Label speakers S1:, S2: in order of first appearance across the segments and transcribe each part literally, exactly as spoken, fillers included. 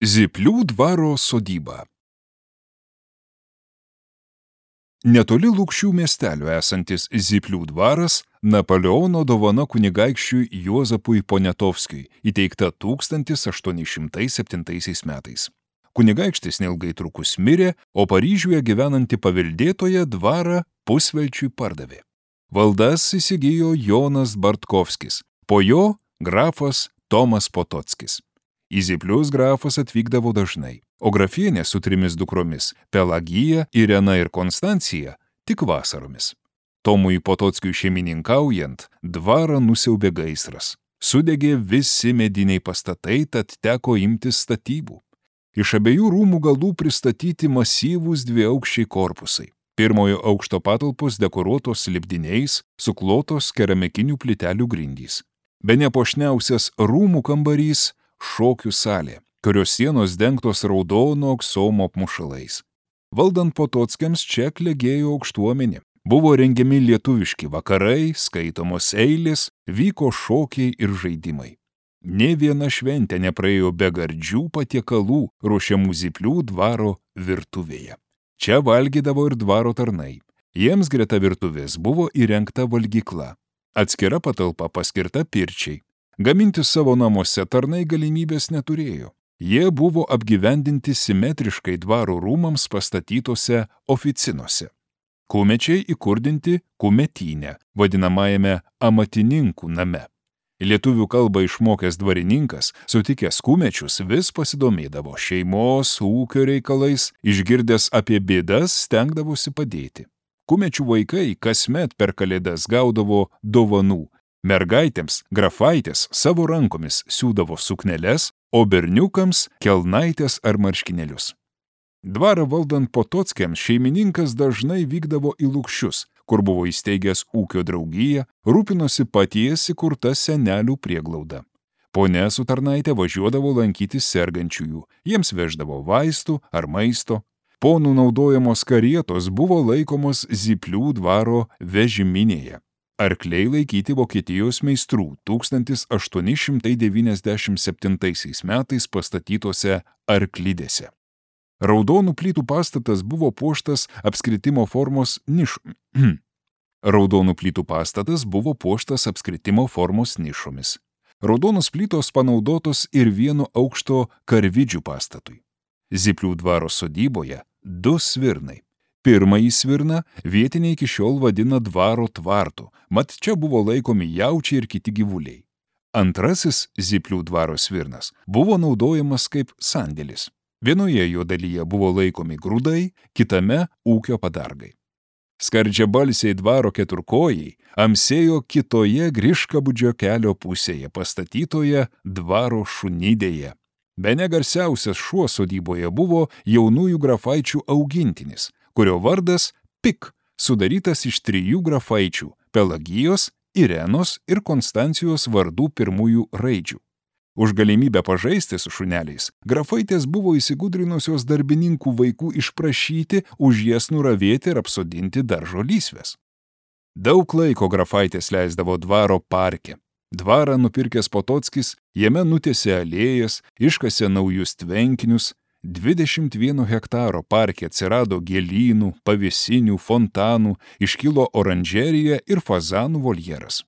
S1: Zyplių dvaro sodyba. Netoli Lukšių miestelio esantis Zyplių dvaras Napoleono dovana kunigaikščiui Juozapui Poniatovskiui, įteikta tūkstantis aštuoni šimtai septintaisiais metais. Kunigaikštis neilgai trukus mirė, o Paryžiuje gyvenanti paveldėtoja dvarą pusvelčiui pardavė. Valdas įsigijo Jonas Bartkovskis, po jo grafas Tomas Potockis. Į Zyplius grafas atvykdavo dažnai, o grafienė su trimis dukromis Pelagija, Irena ir Konstancija tik vasaromis. Tomui Potockiui šeimininkaujant, dvarą nusiaubė gaisras. Sudegė visi mediniai pastatai, tad teko imtis statybų. Iš abiejų rūmų galų pristatyti masyvūs dviaukščiai korpusai. Pirmojo aukšto patalpos dekoruotos lipdiniais, suklotos keramikinių plytelių grindys. Bene puošniausias rūmų kambarys – šokių salė, kurios sienos dengtos raudono aksomo apmušalais. Valdant Potockiams čia klegėjo aukštuomenė. Buvo rengiami lietuviški vakarai, skaitomos eilės, vyko šokiai ir žaidimai. Nė viena šventė nepraėjo be gardžių patiekalų ruošiamų Zyplių dvaro virtuvėje. Čia valgydavo ir dvaro tarnai. Jiems greta virtuvės buvo įrengta valgykla. Atskira patalpa paskirta pirčiai. Gaminti savo namuose tarnai galimybės neturėjo. Jie buvo apgyvendinti simetriškai dvaro rūmams pastatytose oficinose. Kumečiai įkurdinti kumetyne, vadinamajame amatininkų name. Lietuvių kalbą išmokęs dvarininkas, sutikęs kumečius, vis pasidomėdavo šeimos, ūkio reikalais, išgirdęs apie bėdas stengdavosi padėti. Kumečių vaikai kasmet per kalėdas gaudavo dovanų. Mergaitėms grafaitės savo rankomis siūdavo sukneles, o berniukams kelnaitės ar marškinėlius. Dvarą valdant Potockiams šeimininkas dažnai vykdavo į Lukšius, kur buvo įsteigęs ūkio draugiją, rūpinosi paties įkurta senelių prieglauda. Ponia su tarnaitė važiuodavo lankyti sergančiųjų, jiems veždavo vaistų ar maisto. Ponų naudojamos karietos buvo laikomos Zyplių dvaro vežiminėje. Arkliai laikyti Vokietijos meistrų tūkstantis aštuoni šimtai devyniasdešimt septintaisiais metais pastatytose arklidėse. Raudonų plytų pastatas buvo puoštas apskritimo formos nišomis. Raudonų plytų pastatas buvo puoštas apskritimo formos nišomis. Raudonos plytos panaudotos ir vieno aukšto karvidžių pastatui. Zyplių dvaro sodyboje du svirnai. Pirmąjį svirną vietiniai iki šiol vadina dvaro tvartu, mat čia buvo laikomi jaučiai ir kiti gyvuliai. Antrasis Zyplių dvaro svirnas buvo naudojamas kaip sandėlis. Vienoje jo dalyje buvo laikomi grūdai, kitame ūkio padargai. Skardžiabalsiai dvaro keturkojai amsėjo kitoje Griškabūdžio kelio pusėje pastatytoje dvaro šunidėje. Bene garsiausias šuo sodyboje buvo jaunųjų grafaičių augintinis, kurio vardas Pik, sudarytas iš trijų grafaičių – Pelagijos, Irenos ir Konstancijos vardų pirmųjų raidžių. Už galimybę pažaisti su šuneliais, grafaitės buvo įsigudrinusios darbininkų vaikų išprašyti už jas nuravėti ir apsodinti daržo lysves. Daug laiko grafaitės leisdavo dvaro parke. Dvarą nupirkęs Potockis jame nutiesė alėjas, iškasė naujus tvenkinius. dvidešimt vieno hektaro parke atsirado gėlynų, pavėsinių, fontanų, iškilo oranžerija ir fazanų voljeras.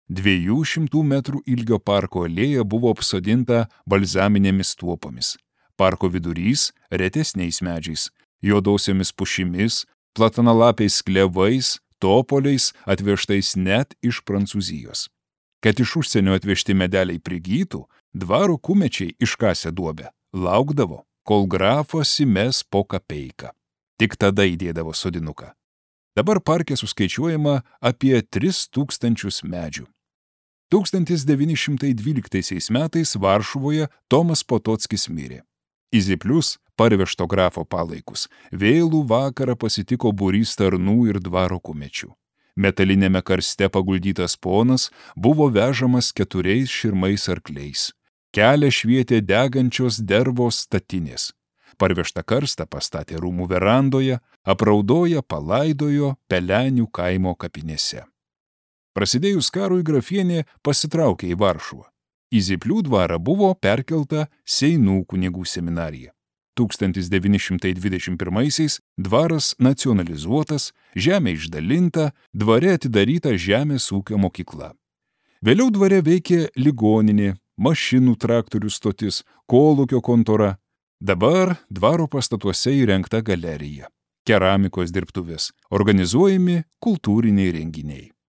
S1: Dviejų šimtų metrų ilgio parko alėja buvo apsodinta balzaminėmis tuopomis. Parko vidurys retesniais medžiais, juodosiomis pušimis, platanalapiais klevais, topoliais atvežtais net iš Prancūzijos. Kad iš užsienio atvežti medeliai prigytų, dvaro kumečiai iškasę duobę, laukdavo, kol grafas įmes po kapeiką. Tik tada įdėdavo sodinuką. Dabar parke suskaičiuojama apie tris tūkstančius medžių. tūkstantis devyni šimtai dvyliktaisiais metais Varšuvoje Tomas Potockis mirė. Į Zyplius parvežto grafo palaikus vėlų vakarą pasitiko būrys tarnų ir dvaro kumečių. Metalinėme karste paguldytas ponas buvo vežamas keturiais širmais arkliais. Kelią švietė degančios dervos statinės. Parvežtą karstą pastatė rūmų verandoje, apraudoje palaidojo Pelenių kaimo kapinėse. Prasidėjus karui grafienė pasitraukė į Varšuvą. Į Zyplių dvarą buvo perkelta Seinų kunigų seminarija. tūkstantis devyni šimtai dvidešimt pirmaisiais dvaras nacionalizuotas, žemė išdalinta, dvare atidaryta žemės ūkio mokykla. Vėliau dvare veikė ligoninė, mašinų traktorių stotis, kolūkio kontora. Dabar dvaro pastatuose įrengta galerija, keramikos dirbtuvės, organizuojami kultūriniai renginiai.